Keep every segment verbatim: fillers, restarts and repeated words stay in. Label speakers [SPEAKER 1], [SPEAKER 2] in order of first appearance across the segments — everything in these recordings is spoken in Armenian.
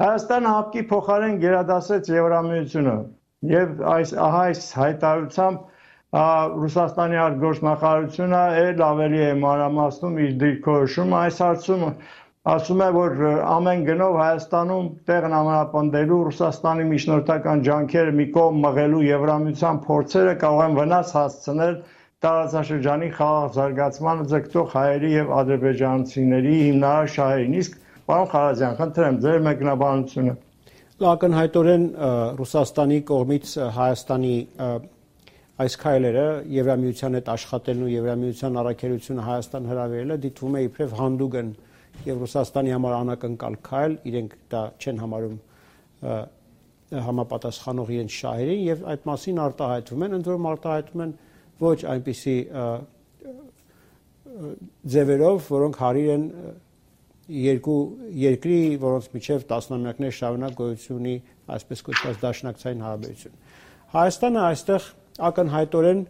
[SPEAKER 1] Հայաստանը հապկի փոխարեն գերադասեց Եվրամիությունը եւ այս ահա այս հայտարարությամբ Ռուսաստանի արտգործնախարարությունը էլ ավելի է մանրամասնում իր դիրքորոշումը այս հարցում ասում է որ ամեն գնով Հայաստանում տեղն ամրապնդելու Ռուսաստանի միջնորդական ջանքերը մի կողմ մղելու Եվրամիության փորձերը կարող են վնաս հասցնել տարածաշրջանի խաղաղ զարգացմանը ձգտող հայերի եւ ադրբեջանցիների հիմնարար շահերին իսկ պարոն Խարազյան խնդրեմ ձեր մեկնաբանությունը
[SPEAKER 2] Ակնհայտորեն Ռուսաստանի կողմից Հայաստանի այս քայլերը Եվրամիության հետ աշխատելն ու Եվրամիության առաքելությունը Հայաստան հրավիրելը դիտվում է իբրև հանդուգն եւ Ռուսաստանի համար անակնկալ քայլ, իրենք դա չեն համարում համապատասխանող իրենց շահերին եւ այդ մասին արտահայտվում են, ընդ որում արտահայտվում են ոչ այնպիսի ձևերով, որոնք հարիր են երկու երկրի, որոնց միջև տասնամյակներ շարունակ գոյություն ունի այսպես կոչված դաշնակցային հարաբերություն։ Հայաստանը այստեղ ակնհայտորեն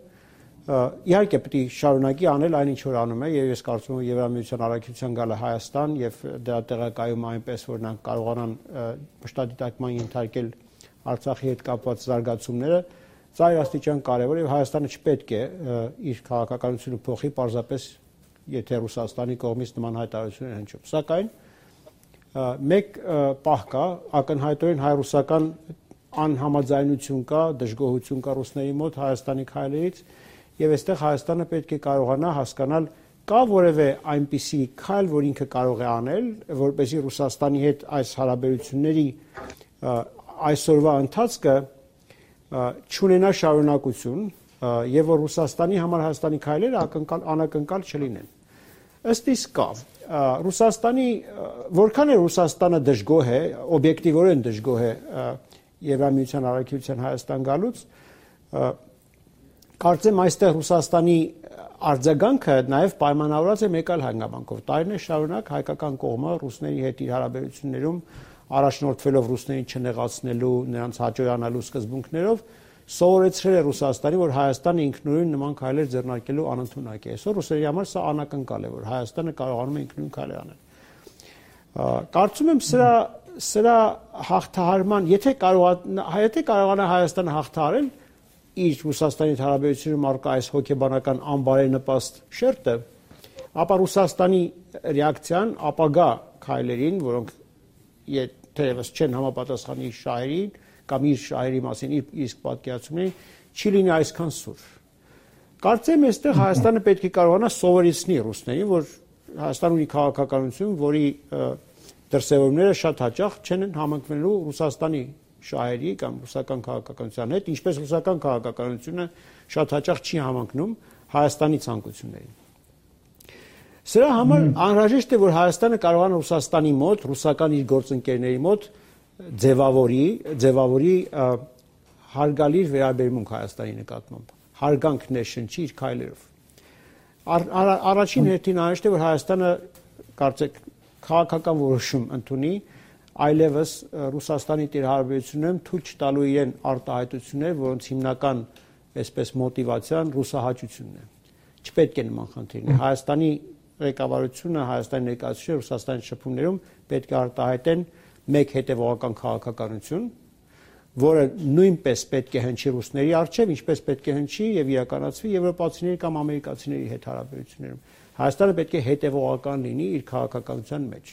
[SPEAKER 2] իհարկե պետք է շարունակի անել այն ինչ որ անում է եւ ես կարծում եմ Եվրամիության առաքելության գալը Հայաստան եւ դրա տեղակայումը այնպես որ նրանք կարողանան մշտադիտարկման ենթարկել Արցախի հետ կապված զարգացումները ծայրաստիճան կարևոր եւ Հայաստանը չպետք է իր քաղաքականությունը փոխի պարզապես եթե Ռուսաստանի կողմից նման հայտարարություններ հնչում սակայն մեկ պահ կա ակնհայտորեն հայ-ռուսական անհամաձայնություն կա, դժգոհություն կա ռուսների մոտ Հայաստանի քայլերից եւ այստեղ Հայաստանը պետք է կարողանա հասկանալ կա որևէ այնպիսի քայլ, որ ինքը կարող է անել, որպեսզի Ռուսաստանի հետ այս հարաբերությունների այսօրվա ընթացքը չունենա շարունակություն եւ որ Ռուսաստանի համար Հայաստանի քայլերը ակնկալ անակնկալ չլինեն։ Ըստ իսկ կա Ռուսաստանի որքան է Ռուսաստանը դժգոհ է, օբյեկտիվորեն դժգոհ է Եվրամիության առաքելության Հայաստան գալուց կարծեմ այստեղ Ռուսաստանի արձագանքը նաև պայմանավորված է մեկ այլ հանգամանքով տարիներ շարունակ հայկական կողմը ռուսների հետ իր հարաբերություններում առաջնորդվելով ռուսներին չնեղացնելու նրանց հաջողանալու սկզբունքներով սովորեցրել է Ռուսաստանի որ Հայաստանը ինքնուրույն նման քայլեր ձեռնարկելու անընդունակ է այսօր ռուսերի համար սա անակնկալ է որ Հայաստանը կարողանում է ինքնուրույն քայլեր անել կարծում եմ սրա սրա հաղթահարման, եթե կարողանա, եթե կարողանա Հայաստանը հաղթահարել իր Ռուսաստանի հարաբերությունում առկա այս հոգեբանական անբարենպաստ շերտը, ապա Ռուսաստանի ռեակցիան ապագա քայլերին, որոնք թերևս չեն համապատասխանի իր շահերին կամ իր շահերի մասին իր իսկ պատկերացումներին, չի լինի այսքան սուր։ Կարծեմ այստեղ Հայաստանը պետք է կարողանա սովորեցնի ռուսներին, որ Հայաստանը ունի քաղաքականություն, որի դրսևորումները շատ հաճախ չեն համընկնելու Ռուսաստանի շահերի կամ ռուսական քաղաքականության հետ, ինչպես ռուսական քաղաքականությունը շատ հաճախ չի համընկնում Հայաստանի ցանկություններին։ Սրա համար անհրաժեշտ է, որ Հայաստանը կարողանա Ռուսաստանի մոտ, ռուսական իր գործընկերների մոտ ձևավորի, ձևավորի հարգալի վերաբերմունք Հայաստանի նկատմամբ, հարգանք ներշնչի իր քայլերով։ Առաջին հերթին անհրաժեշտ է, որ Հայաստանը կարծեք քաղաքական որոշում ընդունի այլևս Ռուսաստանի հարաբերություններում թույլ չտալու իրեն արտահայտություններ, որոնց հիմնական այսպես մոտիվացիան ռուսահաճությունն է։ Չպետք է նման խնդիրներ։ Հայաստանի ղեկավարությունը, Հայաստանի ներկայացուցիչները Ռուսաստանի շփումներում պետք է արտահայտեն մեկ հետևողական քաղաքականություն, որը նույնպես պետք է հնչի ռուսների առջև, ինչպես պետք է հնչի եւ իրականացվի եվրոպացիների կամ ամերիկացիների հետ հարաբերություններում։ Հայաստանը պետք է հետևողական լինի իր քաղաքականության մեջ։